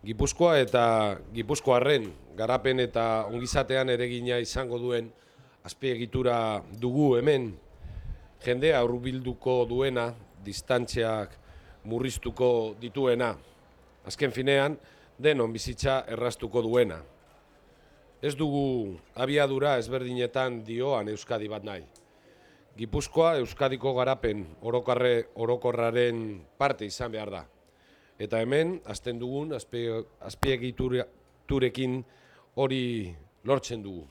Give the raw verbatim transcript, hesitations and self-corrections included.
Gipuzkoa eta Gipuzkoarren garapen eta ongizatean eregina izango duen azpiegitura dugu hemen, jendea hurbilduko duena, distantziak murriztuko dituena, azken finean denon bizitza erraztuko duena. Ez dugu abiadura ezberdinetan dioan Euskadi bat nahi. Gipuzkoa Euskadiko garapen orokarre, orokorraren parte izan behar da. Eta hemen, hasten dugun azpiegiturekin hori lortzen dugu.